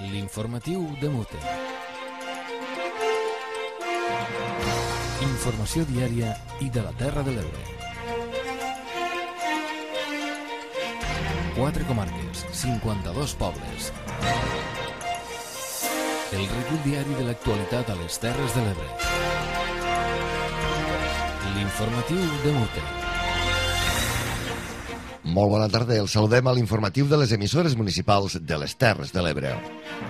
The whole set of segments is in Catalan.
L'informatiu de Mute. Informació diària i de la Terra de l'Ebre. 4 comarques, 52 pobles. El recull diari de l'actualitat a les Terres de l'Ebre. L'informatiu de Mute. Molt bona tarda, els saludem a l'informatiu de les emissores municipals de les Terres de l'Ebre.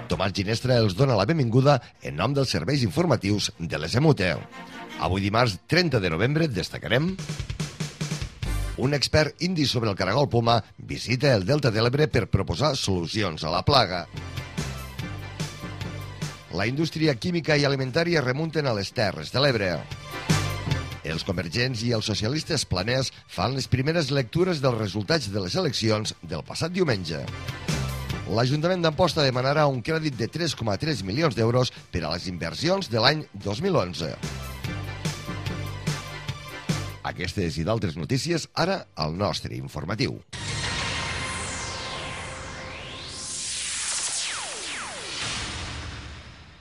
Tomàs Ginestra els dona la benvinguda en nom dels serveis informatius de les EMUTE. Avui dimarts 30 de novembre destacarem: un expert indi sobre el caragol poma visita el Delta de l'Ebre per proposar solucions a la plaga. La indústria química i alimentària remunten a les Terres de l'Ebre. Els convergents i els socialistes planers fan les primeres lectures dels resultats de les eleccions del passat diumenge. L'Ajuntament d'Amposta demanarà un crèdit de 3,3 milions d'euros per a les inversions de l'any 2011. Aquestes i d'altres notícies ara al nostre informatiu.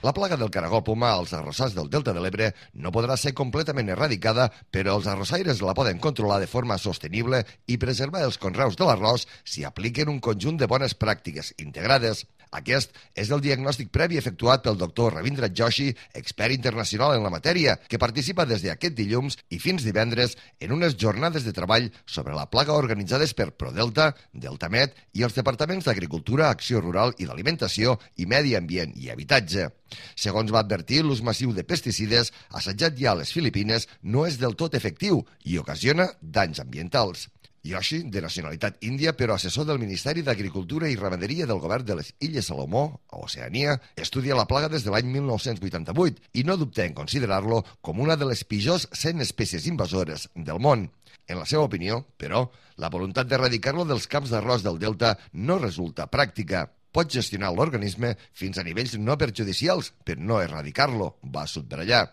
La plaga del caragol poma als arrossars del Delta de l'Ebre no podrà ser completament erradicada, però els arrossaires la poden controlar de forma sostenible i preservar els conreus de l'arròs si apliquen un conjunt de bones pràctiques integrades. Aquest és el diagnòstic previ efectuat pel doctor Ravindra Joshi, expert internacional en la matèria, que participa des d'aquest dilluns i fins divendres en unes jornades de treball sobre la plaga organitzades per Prodelta, Deltamet i els departaments d'Agricultura, Acció Rural i d'Alimentació i Medi Ambient i Habitatge. Segons va advertir, l'ús massiu de pesticides assajat ja a les Filipines no és del tot efectiu i ocasiona danys ambientals. Joshi, de nacionalitat índia, però assessor del Ministeri d'Agricultura i Ramaderia del govern de les Illes Salomó, a Oceania, estudia la plaga des de l'any 1988 i no dubta en considerar-lo com una de les pitjors 100 espècies invasores del món. En la seva opinió, però, la voluntat d'erradicar-lo dels camps d'arròs del Delta no resulta pràctica. Pot gestionar l'organisme fins a nivells no perjudicials, però no erradicar-lo, va subratllar.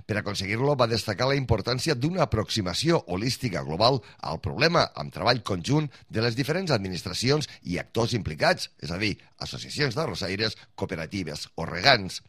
Per aconseguir-lo, va destacar la importància d'una aproximació holística global al problema amb treball conjunt de les diferents administracions i actors implicats, és a dir, associacions d'arrossaires, cooperatives o regants.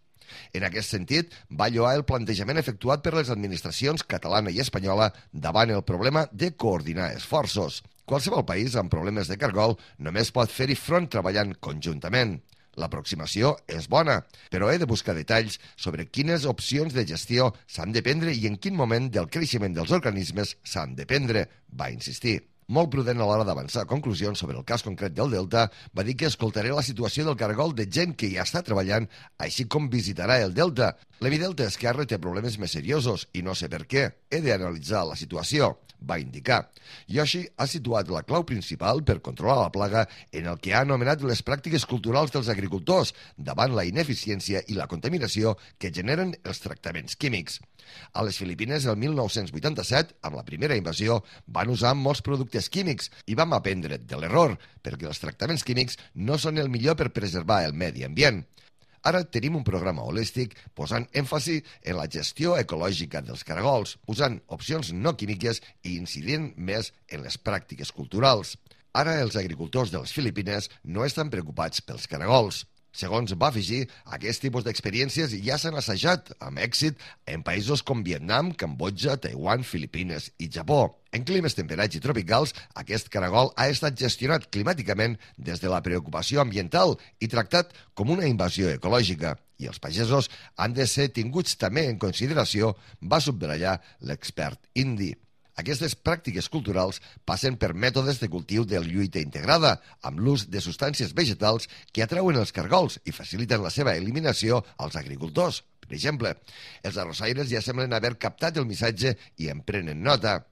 En aquest sentit, va lloar el plantejament efectuat per les administracions catalana i espanyola davant el problema de coordinar esforços. Qualsevol país amb problemes de cargol només pot fer-hi front treballant conjuntament. L'aproximació és bona, però he de buscar detalls sobre quines opcions de gestió s'han de prendre i en quin moment del creixement dels organismes s'han de prendre, va insistir. Molt prudent a l'hora d'avançar conclusions sobre el cas concret del Delta, va dir que escoltaré la situació del caragol de gent que hi està treballant, així com visitarà el Delta. L'Emidelta Esquerra té problemes més seriosos i no sé per què. He d'analitzar la situació, va indicar. Joshi ha situat la clau principal per controlar la plaga en el que ha anomenat les pràctiques culturals dels agricultors davant la ineficiència i la contaminació que generen els tractaments químics. A les Filipines, el 1987, amb la primera invasió, van usar molts productes químics i vam aprendre de l'error, perquè els tractaments químics no són el millor per preservar el medi ambient. Ara tenim un programa holístic posant èmfasi en la gestió ecològica dels caragols, usant opcions no químiques i incidint més en les pràctiques culturals. Ara els agricultors de les Filipines no estan preocupats pels caragols. Segons va afegir, aquest tipus d'experiències ja s'han assajat amb èxit en països com Vietnam, Cambodja, Taiwan, Filipines i Japó. En climes temperats i tropicals, aquest caragol ha estat gestionat climàticament des de la preocupació ambiental i tractat com una invasió ecològica. I els pagesos han de ser tinguts també en consideració, va subratllar l'expert indi. Aquestes pràctiques culturals passen per mètodes de cultiu de lluita integrada, amb l'ús de substàncies vegetals que atrauen els cargols i faciliten la seva eliminació als agricultors. Per exemple, els arrossaires ja semblen haver captat el missatge i en prenen nota.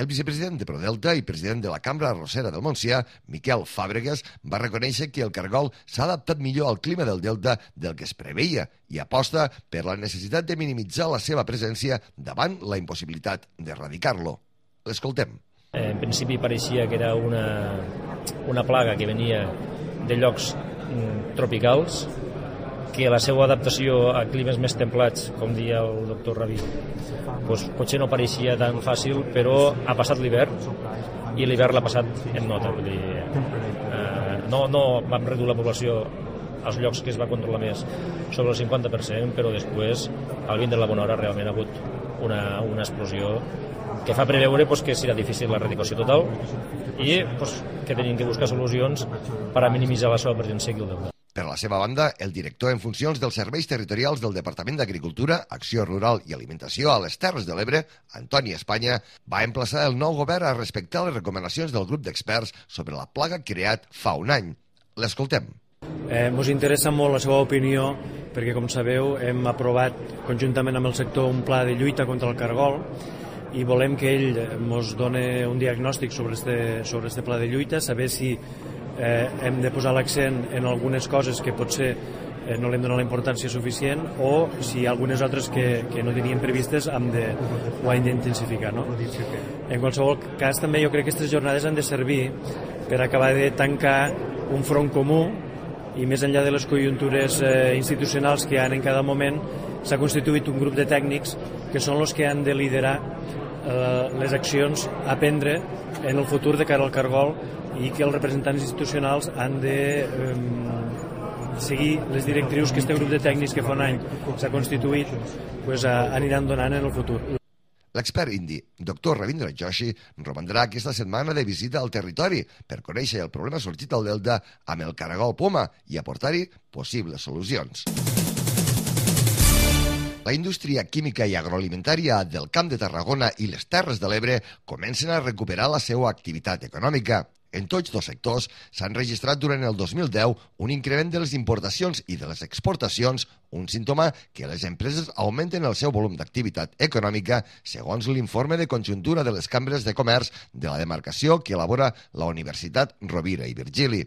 El vicepresident de Prodelta i president de la Cambra Arrossera del Montsià, Miquel Fàbregas, va reconèixer que el cargol s'ha adaptat millor al clima del Delta del que es preveia i aposta per la necessitat de minimitzar la seva presència davant la impossibilitat d'erradicar-lo. L'escoltem. En principi pareixia que era una plaga que venia de llocs tropicals, que la seva adaptació a climes més templats, com deia el doctor Ravi, potser no pareixia tan fàcil, però ha passat l'hivern i l'hivern l'ha passat en nota. Vull dir, no vam reduir la població als llocs que es va controlar més sobre el 50%, però després, al vint de la bona hora, realment ha hagut una explosió que fa preveure que serà difícil l'erradicació total i que tenim que buscar solucions per a minimitzar la seva presència aquí al delta. Per la seva banda, el director en funcions dels serveis territorials del Departament d'Agricultura, Acció Rural i Alimentació a les Terres de l'Ebre, Antoni Espanya, va emplaçar el nou govern a respectar les recomanacions del grup d'experts sobre la plaga creat fa un any. L'escoltem. Ens interessa molt la seva opinió perquè, com sabeu, hem aprovat conjuntament amb el sector un pla de lluita contra el cargol i volem que ell ens doni un diagnòstic sobre este pla de lluita, saber si hem de posar l'accent en algunes coses que potser no li hem donat la importància suficient o si hi ha algunes altres que no teníem previstes ho hem d'intensificar. No? En qualsevol cas, també jo crec que aquestes jornades han de servir per acabar de tancar un front comú i més enllà de les conjuntures institucionals que hi ha en cada moment, s'ha constituït un grup de tècnics que són els que han de liderar les accions a prendre en el futur de cara al cargol i que els representants institucionals han de seguir les directrius que este grup de tècnics que fa un any s'ha constituït aniran donant en el futur. L'expert indi, Dr. Ravindra Joshi, romandrà aquesta setmana de visita al territori per conèixer el problema sorgit al delta amb el caragol poma i aportar-hi possibles solucions. La indústria química i agroalimentària del Camp de Tarragona i les Terres de l'Ebre comencen a recuperar la seva activitat econòmica. En tots dos sectors s'han registrat durant el 2010 un increment de les importacions i de les exportacions, un símptoma que les empreses augmenten el seu volum d'activitat econòmica segons l'informe de conjuntura de les cambres de comerç de la demarcació que elabora la Universitat Rovira i Virgili.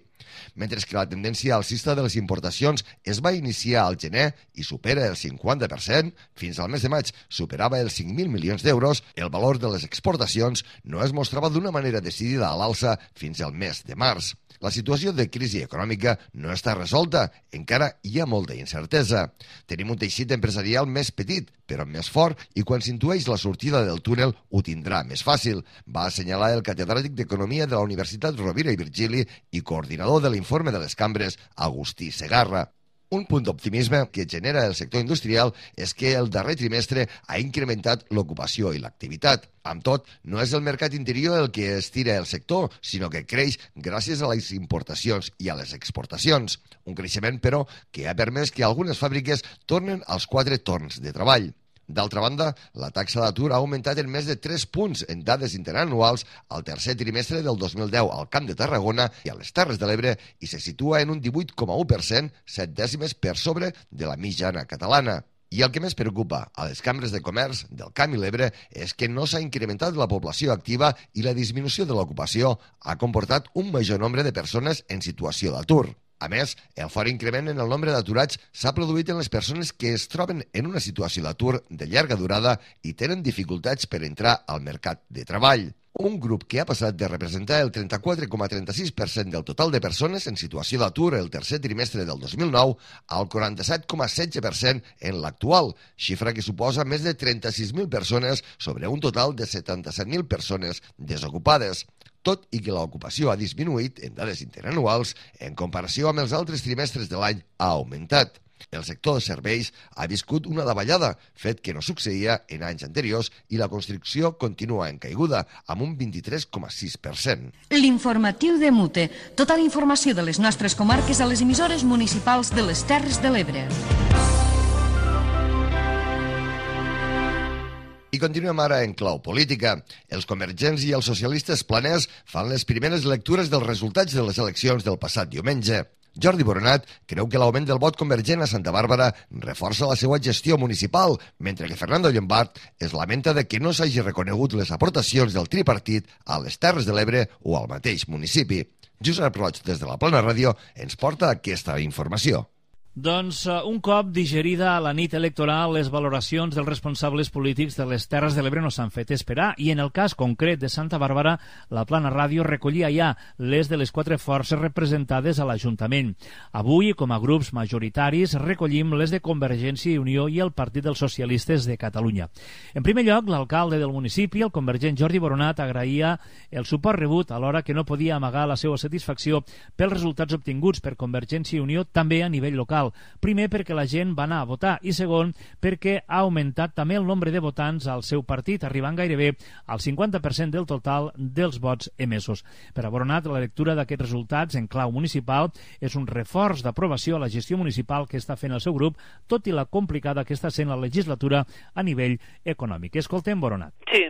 Mentre que la tendència alcista de les importacions es va iniciar al gener i supera el 50%, fins al mes de maig superava els 5.000 milions d'euros, el valor de les exportacions no es mostrava d'una manera decidida a l'alça fins al mes de març. La situació de crisi econòmica no està resolta, encara hi ha molta incertesa. Tenim un teixit empresarial més petit, però més fort, i quan s'intueix la sortida del túnel ho tindrà més fàcil, va assenyalar el catedràtic d'Economia de la Universitat Rovira i Virgili i coordinador de l'informe de les cambres, Agustí Segarra. Un punt d'optimisme que genera el sector industrial és que el darrer trimestre ha incrementat l'ocupació i l'activitat. Amb tot, no és el mercat interior el que estira el sector, sinó que creix gràcies a les importacions i a les exportacions. Un creixement, però, que ha permès que algunes fàbriques tornen als 4 torns de treball. D'altra banda, la taxa d'atur ha augmentat en més de 3 punts en dades interanuals al tercer trimestre del 2010 al Camp de Tarragona i a les Terres de l'Ebre i se situa en un 18,1%, 7 dècimes per sobre de la mitjana catalana. I el que més preocupa a les cambres de comerç del Camp i l'Ebre és que no s'ha incrementat la població activa i la disminució de l'ocupació ha comportat un major nombre de persones en situació d'atur. A més, el fort increment en el nombre d'aturats s'ha produït en les persones que es troben en una situació d'atur de llarga durada i tenen dificultats per entrar al mercat de treball. Un grup que ha passat de representar el 34,36% del total de persones en situació d'atur el tercer trimestre del 2009 al 47,16% en l'actual, xifra que suposa més de 36.000 persones sobre un total de 77.000 persones desocupades. Tot i que l'ocupació ha disminuït en dades interanuals, en comparació amb els altres trimestres de l'any ha augmentat. El sector de serveis ha viscut una davallada, fet que no succeïa en anys anteriors, i la construcció continua en caiguda, amb un 23,6%. L'informatiu de Mute. Tota la informació de les nostres comarques a les emissores municipals de les Terres de l'Ebre. I continuem ara en clau política. Els convergents i els socialistes planers fan les primeres lectures dels resultats de les eleccions del passat diumenge. Jordi Boronat creu que l'augment del vot convergent a Santa Bàrbara reforça la seva gestió municipal, mentre que Fernando Llombart es lamenta de que no s'hagi reconegut les aportacions del tripartit a les Terres de l'Ebre o al mateix municipi. Josep Roig, des de la Plana Ràdio, ens porta aquesta informació. Doncs un cop digerida la nit electoral, les valoracions dels responsables polítics de les Terres de l'Ebre no s'han fet esperar i en el cas concret de Santa Bàrbara, la Plana Ràdio recollia ja les de les 4 forces representades a l'Ajuntament. Avui, com a grups majoritaris, recollim les de Convergència i Unió i el Partit dels Socialistes de Catalunya. En primer lloc, l'alcalde del municipi, el convergent Jordi Boronat, agraïa el suport rebut alhora que no podia amagar la seva satisfacció pels resultats obtinguts per Convergència i Unió també a nivell local. Primer, perquè la gent va anar a votar i segon, perquè ha augmentat també el nombre de votants al seu partit, arribant gairebé al 50% del total dels vots emesos. Per a Boronat, la lectura d'aquests resultats en clau municipal és un reforç d'aprovació a la gestió municipal que està fent el seu grup, tot i la complicada que està sent la legislatura a nivell econòmic. Escoltem Boronat. Sí.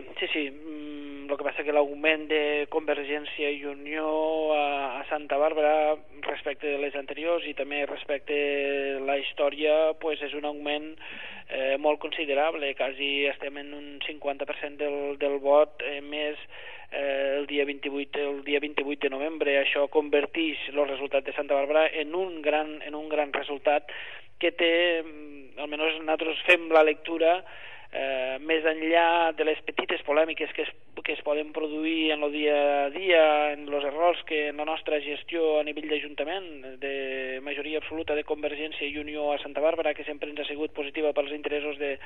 El que passa que l'augment de Convergència i Unió a Santa Bàrbara respecte de les anteriors i també respecte a la història pues és un augment molt considerable, quasi estem en un 50% del vot més el dia 28 de novembre. Això converteix el resultat de Santa Bàrbara en un gran resultat que té, almenys nosaltres fem la lectura més enllà de les petites polèmiques que es poden produir en el dia a dia, en els errors que en la nostra gestió a nivell d'Ajuntament, de majoria absoluta de Convergència i Unió a Santa Bàrbara, que sempre ens ha sigut positiva pels interessos de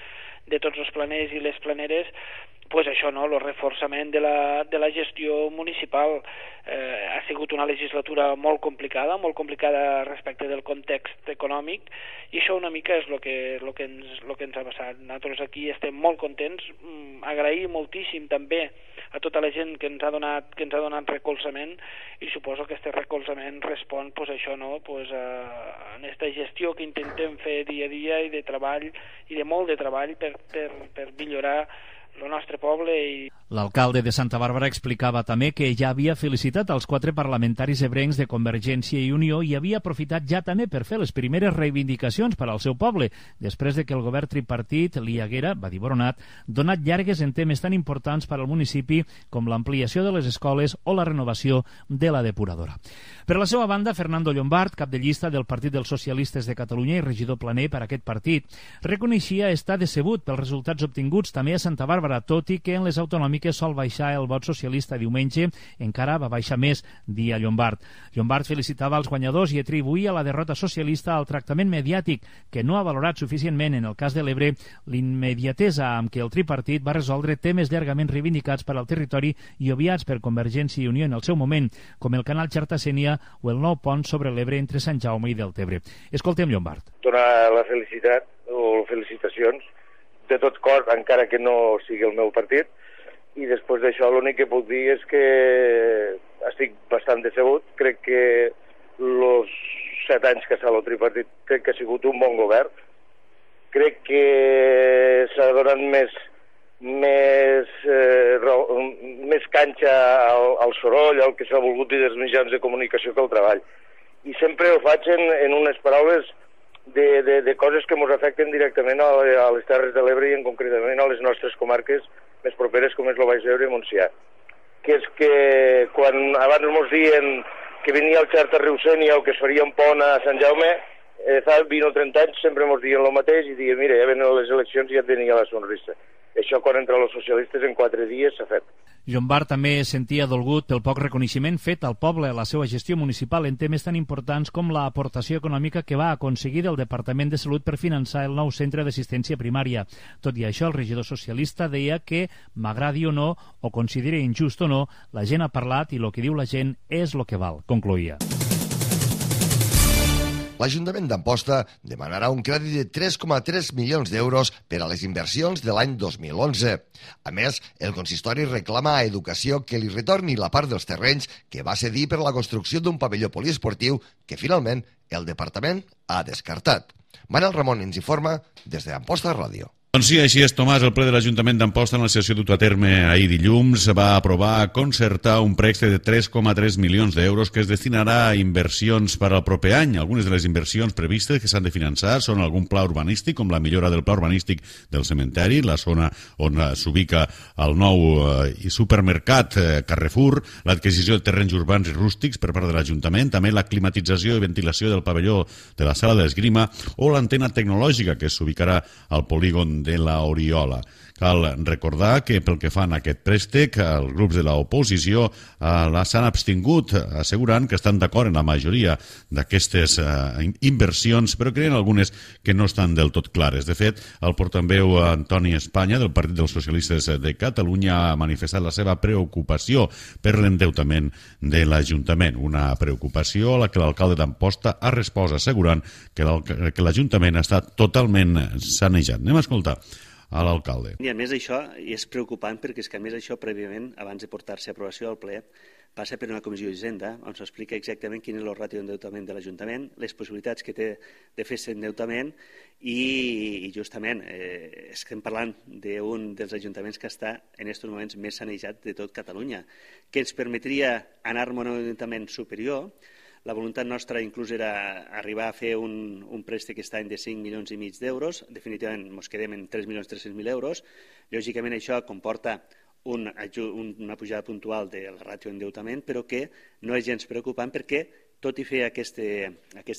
tots els planers i les planeres, pues això, no? El reforçament de la gestió municipal. Ha sigut una legislatura molt complicada respecte del context econòmic, i això una mica és el que ens ha passat. Nosaltres aquí estem molt contents, agrair moltíssim també a tota la gent que ens ha donat recolzament, i suposo que aquest recolzament respon pues, això, no? Pues, a aquesta gestió que intentem fer dia a dia i de treball, i de molt de treball per millorar el nostre poble. L'alcalde de Santa Bàrbara explicava també que ja havia felicitat els 4 parlamentaris ebrencs de Convergència i Unió i havia aprofitat ja també per fer les primeres reivindicacions per al seu poble, després de que el govern tripartit li haguera, va dir Boronat, donat llargues en temes tan importants per al municipi com l'ampliació de les escoles o la renovació de la depuradora. Per la seva banda, Fernando Llombart, cap de llista del Partit dels Socialistes de Catalunya i regidor planer per a aquest partit, reconeixia estar decebut pels resultats obtinguts també a Santa Bàrbara, tot i que en les autonòmiques sol baixar el vot socialista diumenge, encara va baixar més, dia Llombart. Llombart felicitava els guanyadors i atribuïa la derrota socialista al tractament mediàtic, que no ha valorat suficientment en el cas de l'Ebre l'immediatesa amb què el tripartit va resoldre temes llargament reivindicats per al territori i obviats per Convergència i Unió en el seu moment, com el canal Xarta-Sénia o el nou pont sobre l'Ebre entre Sant Jaume i Deltebre. Escoltem Llombart. Donar la felicitat o felicitacions de tot cor, encara que no sigui el meu partit, i després d'això l'únic que puc dir és que estic bastant decebut. Crec que els 7 anys que està el tripartit crec que ha sigut un bon govern. Crec que s'ha donat més canxa al soroll, al que s'ha volgut dir dels mitjans de comunicació, que al treball. I sempre ho faig en unes paraules de coses que ens afecten directament a les Terres de l'Ebre i en concretament a les nostres comarques més properes, com és el Baix Ebre i Montsià. Que és que quan abans ens diuen que venia el Xarta-Riu-Sénia o que es faria un pont a Sant Jaume, fa 20 o 30 anys sempre ens diuen el mateix i diuen, mira, ja venen les eleccions i ja tenia la sonrisa. Això quan entre els socialistes en 4 dies s'ha fet. Llombart també sentia dolgut pel poc reconeixement fet al poble a la seva gestió municipal en temes tan importants com l'aportació econòmica que va aconseguir del Departament de Salut per finançar el nou centre d'assistència primària. Tot i això, el regidor socialista deia que, m'agradi o no, o consideri injust o no, la gent ha parlat i el que diu la gent és el que val, concloïa. L'Ajuntament d'Amposta demanarà un crèdit de 3,3 milions d'euros per a les inversions de l'any 2011. A més, el consistori reclama a Educació que li retorni la part dels terrenys que va cedir per a la construcció d'un pavelló poliesportiu que finalment el departament ha descartat. Manel Ramon ens informa des d'Amposta Ràdio. Doncs sí, així és, Tomàs. El ple de l'Ajuntament d'Amposta, en la sessió dut a terme ahir dilluns, va aprovar concertar un préstec de 3,3 milions d'euros que es destinarà a inversions per al proper any. Algunes de les inversions previstes que s'han de finançar són algun pla urbanístic, com la millora del pla urbanístic del cementeri, la zona on s'ubica el nou supermercat Carrefour, l'adquisició de terrenys urbans i rústics per part de l'Ajuntament, també la climatització i ventilació del pavelló de la sala d'esgrima o l'antena tecnològica que s'ubicarà al polígon de la Oriola. Cal recordar que pel que fa a aquest préstec, els grups de l'oposició s'han abstingut, assegurant que estan d'acord en la majoria d'aquestes inversions, però creen algunes que no estan del tot clares. De fet, el portaveu Antoni Espanya, del Partit dels Socialistes de Catalunya, ha manifestat la seva preocupació per l'endeutament de l'Ajuntament. Una preocupació a la que l'alcalde d'Amposta ha respost assegurant que l'Ajuntament està totalment sanejat. Anem a escoltar a l'alcalde. I a més això és preocupant perquè és que a més això prèviament, abans de portar-se a aprovació al ple, passa per una comissió d'Hisenda on s'explica exactament quin és el ràtio d'endeutament de l'Ajuntament, les possibilitats que té de fer aquest endeutament i justament estem parlant d'un dels ajuntaments que està en aquests moments més sanejat de tot Catalunya, que ens permetria anar a un endeutament superior. La voluntat nostra inclús era arribar a fer un préstec aquest any de 5,5 milions d'euros. Definitivament ens quedem en 3.300.000 euros. Lògicament això comporta una pujada puntual de la ràtio d'endeutament, però que no és gens preocupant perquè tot i fer aquest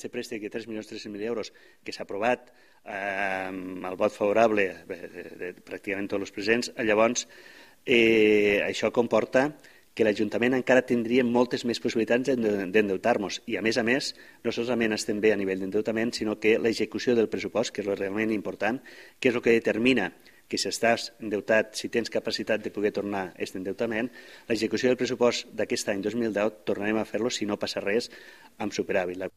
préstec de 3.300.000 euros que s'ha aprovat amb el vot favorable de pràcticament tots els presents, llavors això comporta que l'Ajuntament encara tindria moltes més possibilitats d'endeutar-nos. I, a més, no solament estem bé a nivell d'endeutament, sinó que l'execució del pressupost, que és el realment important, que és el que determina que si estàs endeutat, si tens capacitat de poder tornar aquest endeutament, l'execució del pressupost d'aquest any 2010 tornarem a fer-lo, si no passa res, amb superàvit.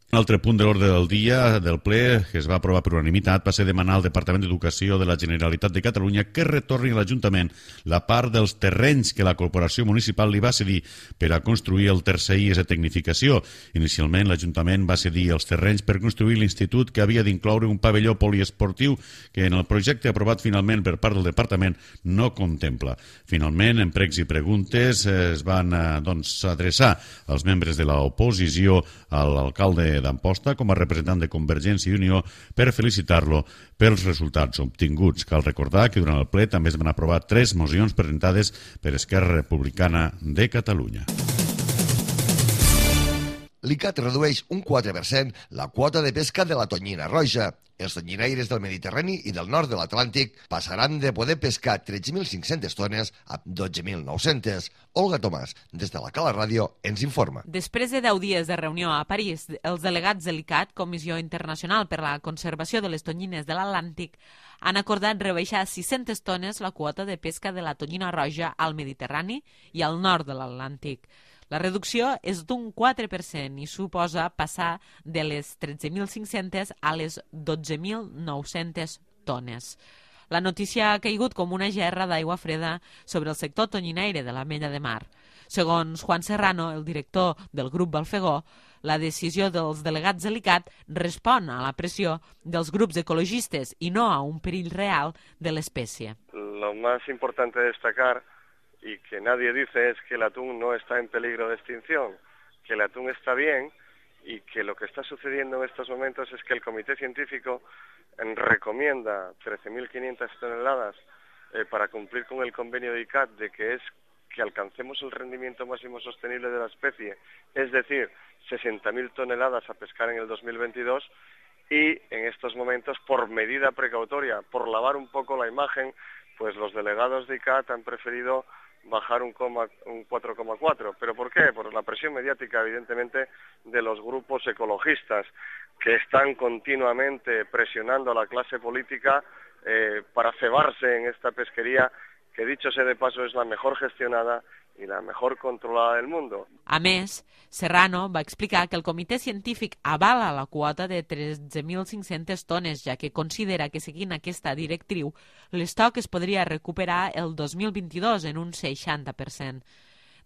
Un altre punt de l'ordre del dia del ple que es va aprovar per unanimitat va ser demanar al Departament d'Educació de la Generalitat de Catalunya que retorni a l'Ajuntament la part dels terrenys que la Corporació Municipal li va cedir per a construir el tercer IES de tecnificació. Inicialment, l'Ajuntament va cedir els terrenys per construir l'institut que havia d'incloure un pavelló poliesportiu que en el projecte aprovat finalment per part del Departament no contempla. Finalment, en pregs i preguntes es van adreçar als membres de l'oposició a l'alcalde d'Amposta com a representant de Convergència i Unió per felicitar-lo pels resultats obtinguts. Cal recordar que durant el ple també es van aprovar 3 mocions presentades per Esquerra Republicana de Catalunya. L'ICAT redueix un 4% la quota de pesca de la tonyina roja. Els tonyinaires del Mediterrani i del nord de l'Atlàntic passaran de poder pescar 13.500 tones a 12.900. Olga Tomàs, des de la Cala Ràdio, ens informa. Després de 10 dies de reunió a París, els delegats de l'ICAT, Comissió Internacional per la Conservació de les Tonyines de l'Atlàntic, han acordat rebaixar 600 tones la quota de pesca de la tonyina roja al Mediterrani i al nord de l'Atlàntic. La reducció és d'un 4% i suposa passar de les 13.500 a les 12.900 tones. La notícia ha caigut com una gerra d'aigua freda sobre el sector tonyinaire de la Mella de Mar. Segons Juan Serrano, el director del grup Balfegó, la decisió dels delegats de l'ICAT respon a la pressió dels grups ecologistes i no a un perill real de l'espècie. Lo más importante destacar y que nadie dice es que el atún no está en peligro de extinción, que el atún está bien y que lo que está sucediendo en estos momentos es que el Comité Científico recomienda 13.500 toneladas para cumplir con el convenio de ICAT de que es que alcancemos el rendimiento máximo sostenible de la especie, es decir, 60.000 toneladas a pescar en el 2022 y en estos momentos, por medida precautoria, por lavar un poco la imagen, pues los delegados de ICAT han preferido bajar un 4,4. ¿Pero por qué? Por la presión mediática, evidentemente, de los grupos ecologistas que están continuamente presionando a la clase política para cebarse en esta pesquería que, dicho sea de paso, es la mejor gestionada i la mejor controlada del mundo. A més, Serrano va explicar que el comitè científic avala la quota de 13.500 tones, ja que considera que seguint aquesta directriu, l'estoc es podria recuperar el 2022 en un 60%.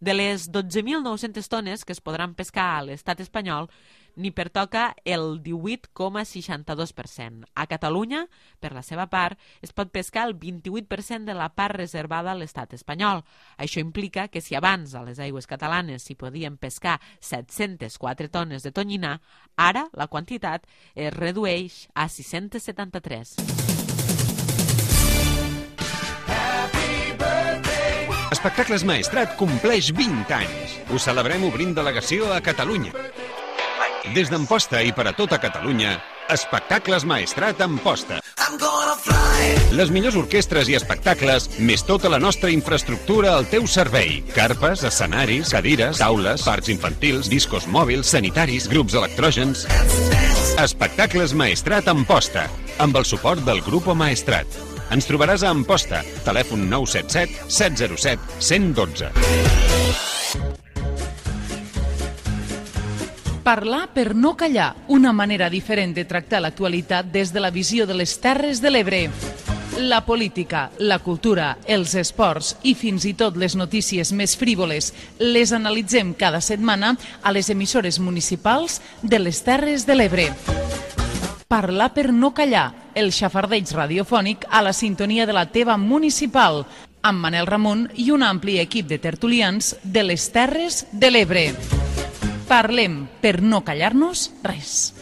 De les 12.900 tones que es podran pescar a l'estat espanyol, n'hi pertoca el 18,62%. A Catalunya, per la seva part, es pot pescar el 28% de la part reservada a l'estat espanyol. Això implica que si abans a les aigües catalanes s'hi podien pescar 704 tones de tonyina, ara la quantitat es redueix a 673. Espectacles Maestrat compleix 20 anys. Ho celebrem obrint delegació a Catalunya. Des d'Amposta i per a tota Catalunya, Espectacles Maestrat Amposta. Les millors orquestres i espectacles, més tota la nostra infraestructura al teu servei. Carpes, escenaris, cadires, taules, parcs infantils, discos mòbils, sanitaris, grups electrògens. Espectacles Maestrat Amposta, amb el suport del Grupo Maestrat. Ens trobaràs a Amposta, telèfon 977 707 112. Parlar per no callar, una manera diferent de tractar l'actualitat des de la visió de les Terres de l'Ebre. La política, la cultura, els esports i fins i tot les notícies més frívoles les analitzem cada setmana a les emissores municipals de les Terres de l'Ebre. Parlar per no callar, el xafardeig radiofònic a la sintonia de la teva municipal, amb Manel Ramon i un ampli equip de tertulians de les Terres de l'Ebre. Parlem per no callar-nos res.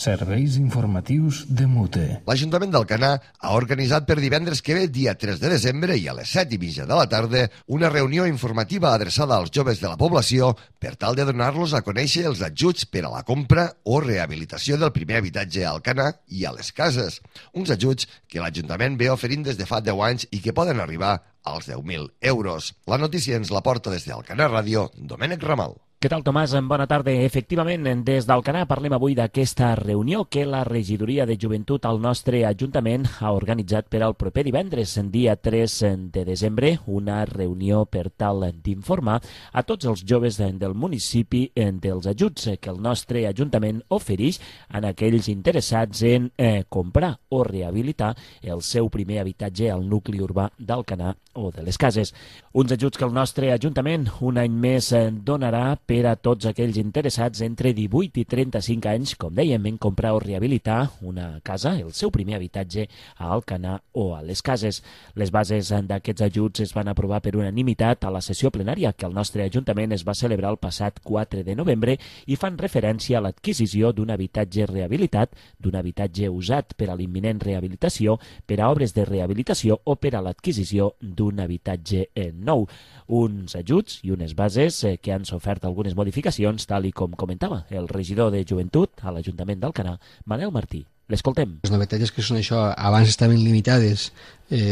Serveis informatius de Mute. L'Ajuntament d'Alcanar ha organitzat per divendres que ve, dia 3 de desembre, i a les 7:30 de la tarda, una reunió informativa adreçada als joves de la població per tal de donar-los a conèixer els ajuts per a la compra o rehabilitació del primer habitatge a Alcanar i a les cases. Uns ajuts que l'Ajuntament ve oferint des de fa 10 anys i que poden arribar als 10.000 euros. La notícia ens la porta des d'Alcanar Ràdio, Domènec Ramal. Què tal, Tomàs? Bona tarda. Efectivament, des d'Alcanar parlem avui d'aquesta reunió que la Regidoria de Joventut al nostre Ajuntament ha organitzat per al proper divendres, dia 3 de desembre, una reunió per tal d'informar a tots els joves del municipi dels ajuts que el nostre Ajuntament ofereix a aquells interessats en comprar o rehabilitar el seu primer habitatge al nucli urbà d'Alcanar o de les Cases. Uns ajuts que el nostre Ajuntament un any més donarà per a tots aquells interessats entre 18 i 35 anys, com dèiem, en comprar o rehabilitar una casa, el seu primer habitatge a Alcanar o a les Cases. Les bases d'aquests ajuts es van aprovar per unanimitat a la sessió plenària que el nostre Ajuntament es va celebrar el passat 4 de novembre i fan referència a l'adquisició d'un habitatge rehabilitat, d'un habitatge usat per a l'imminent rehabilitació, per a obres de rehabilitació o per a l'adquisició d'un habitatge nou. Uns ajuts i unes bases que han sofert algunes modificacions, tal i com comentava el regidor de Joventut a l'Ajuntament d'Alcanar, Manel Martí. L'escoltem. Les novetats que són això, abans estaven limitades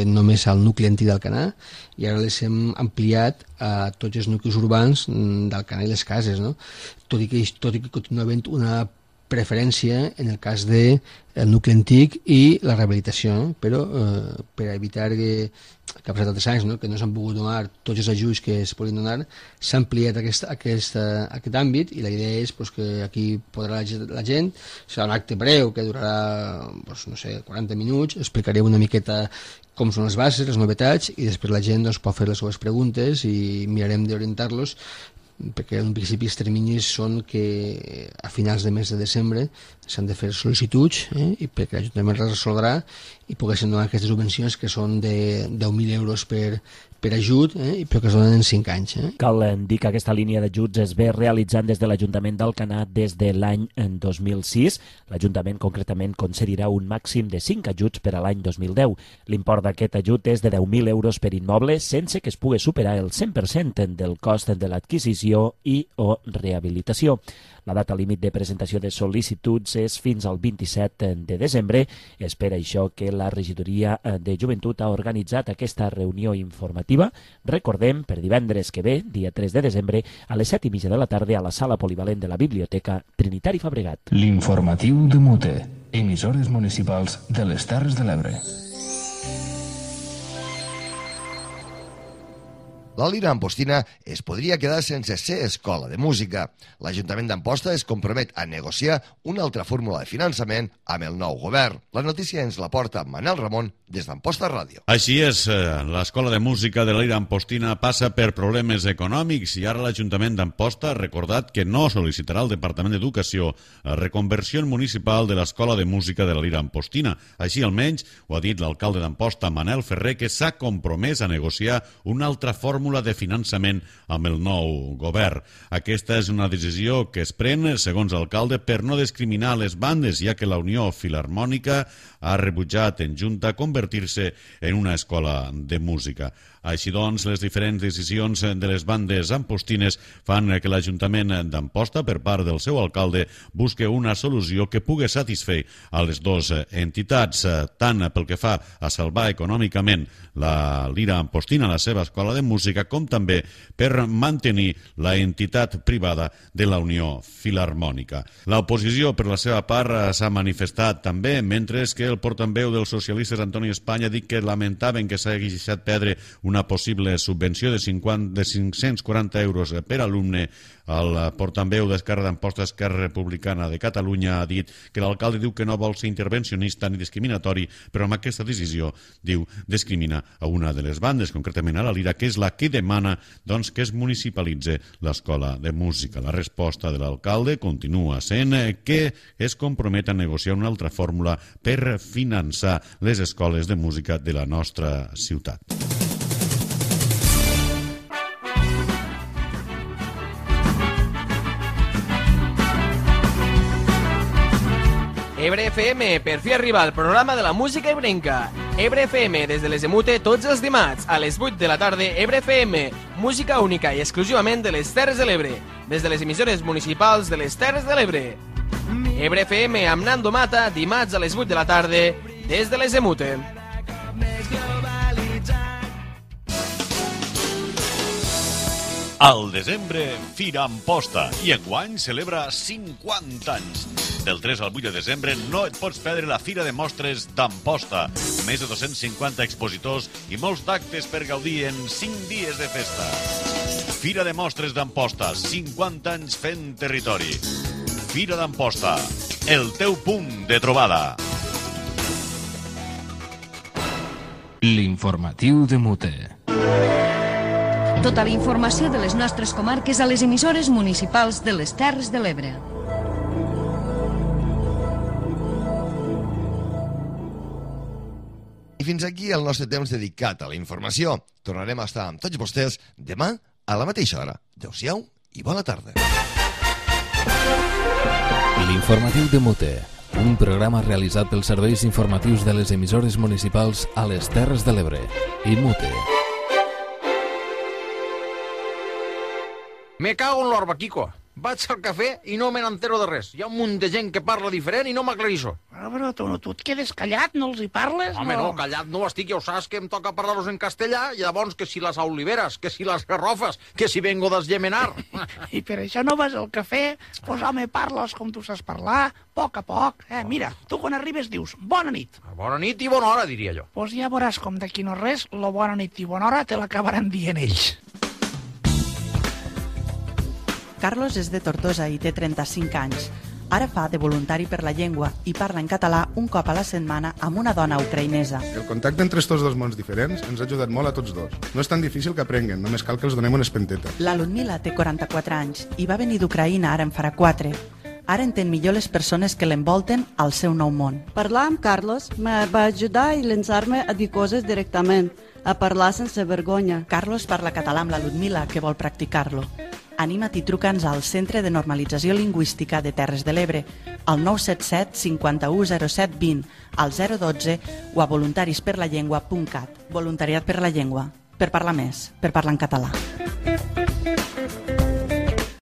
només al nucli antic d'Alcanar i ara les hem ampliat a tots els nuclis urbans d'Alcanar i les Cases, no? Tot i que continua havent una preferència en el cas del nucli antic i la rehabilitació, però per evitar que ha passat altres anys, que no s'han pogut donar tots els ajuts que es podien donar, s'ha ampliat aquest àmbit i la idea és que aquí podrà la gent, serà un acte breu que durarà 40 minuts, explicaré una miqueta com són les bases, les novetats, i després la gent pot fer les seves preguntes i mirarem d'orientar-los, perquè en principi els terminis són que a finals de mes de desembre s'han de fer sol·licituds i perquè l'Ajuntament les resoldrà i poguessin donar aquestes subvencions que són de 10.000 euros per ajut, però que es donen en 5 anys. Cal dir que aquesta línia d'ajuts es ve realitzant des de l'Ajuntament d'Alcanar des de l'any 2006. L'Ajuntament concretament concedirà un màxim de 5 ajuts per a l'any 2010. L'import d'aquest ajut és de 10.000 euros per immoble sense que es pugui superar el 100% del cost de l'adquisició i o rehabilitació. La data límit de presentació de sol·licituds és fins al 27 de desembre. És per això que la Regidoria de Joventut ha organitzat aquesta reunió informativa. Recordem, per divendres que ve, dia 3 de desembre, a les 7:30 de la tarda a la sala polivalent de la Biblioteca Trinitari Fabregat. L'informatiu de Mute, emissores municipals de les Terres de l'Ebre. la Lira Ampostina es podria quedar sense ser escola de música. L'Ajuntament d'Amposta es compromet a negociar una altra fórmula de finançament amb el nou govern. La notícia ens la porta Manel Ramon des d'Amposta Ràdio. Així és, l'Escola de Música de la Lira Ampostina passa per problemes econòmics i ara l'Ajuntament d'Amposta ha recordat que no sol·licitarà al Departament d'Educació la reconversió municipal de l'Escola de Música de la Lira Ampostina. Així almenys ho ha dit l'alcalde d'Amposta, Manel Ferrer, que s'ha compromès a negociar una altra fórmula de finançament amb el nou govern. Aquesta és una decisió que es pren, segons l'alcalde, per no discriminar les bandes, ja que la Unió Filharmònica ha rebutjat en Junta convertir-se en una escola de música. Així doncs, les diferents decisions de les bandes ampostines fan que l'Ajuntament d'Amposta, per part del seu alcalde, busque una solució que pugui satisfer a les dues entitats, tant pel que fa a salvar econòmicament la Lira Ampostina, la seva escola de música, com també per mantenir la entitat privada de la Unió Filharmònica. L'oposició, per la seva part, s'ha manifestat també, mentre que el portaveu dels socialistes, Antoni Espanya, ha dit que lamentaven que s'hagi deixat perdre una possible subvenció de 540 euros per alumne. El portaveu d'Esquerra d'Amposta, Esquerra Republicana de Catalunya, ha dit que l'alcalde diu que no vol ser intervencionista ni discriminatori, però amb aquesta decisió, diu, discrimina a una de les bandes, concretament a la Lira, que és la que demana doncs, que es municipalitze l'escola de música. La resposta de l'alcalde continua sent que es compromet a negociar una altra fórmula per finançar les escoles de música de la nostra ciutat. Ebre FM, per fi arriba al programa de la música ebrenca. Ebre FM, des de les Emute, tots els dimarts, a les 8 de la tarda, Ebre FM, música única i exclusivament de les Terres de l'Ebre, des de les emissores municipals de les Terres de l'Ebre. Ebre FM amb Nando Mata, dimarts a les 8 de la tarda, des de les Emute. Al desembre, Fira Amposta, i enguany celebra 50 anys. Del 3 al 8 de desembre no et pots perdre la Fira de Mostres d'Amposta. Més de 250 expositors i molts d'actes per gaudir en 5 dies de festa. Fira de Mostres d'Amposta, 50 anys fent territori. Fira d'Amposta, el teu punt de trobada. L'informatiu de Mute. Tota la informació de les nostres comarques a les emissores municipals de les Terres de l'Ebre. I fins aquí el nostre temps dedicat a la informació. Tornarem a estar amb tots vostès demà a la mateixa hora. Adéu-siau i bona tarda. L'informatiu de Mute, un programa realitzat pels serveis informatius de les emissores municipals a les Terres de l'Ebre i Mute. Me cago en l'orba, Kiko. Vaig al cafè i no me n'entero de res. Hi ha un munt de gent que parla diferent i no m'aclarissó. Però tu et quedes callat, no els hi parles? Home, no, callat no estic, ja ho saps que em toca parlar-los en castellà, i llavors que si les oliveres, que si les garrofes, que si vengo d'Esgemenar. I per això no vas al cafè? Pues home, parles com tu saps parlar, a poc. Mira, tu quan arribes dius bona nit. Bona nit i bona hora, diria jo. Pues ja veuràs com d'aquí no res, lo bona nit i bona hora te l'acabaran dient ells. Carlos és de Tortosa i té 35 anys. Ara fa de voluntari per la llengua i parla en català un cop a la setmana amb una dona ucraïnesa. El contacte entre estos dos mons diferents ens ha ajudat molt a tots dos. No és tan difícil que aprenguen, només cal que els donem una espenteta. La Ludmila té 44 anys i va venir d'Ucraïna ara en farà 4. Ara entén millor les persones que l'envolten al seu nou món. Parlar amb Carlos me va ajudar i llançar-me a dir coses directament, a parlar sense vergonya. Carlos parla català amb la Ludmila, que vol practicar-lo. Anima't i truca'ns al Centre de Normalització Lingüística de Terres de l'Ebre, al 977 51 07 20, al 012 o a voluntarisperlallengua.cat. Voluntariat per la llengua, per parlar més, per parlar en català.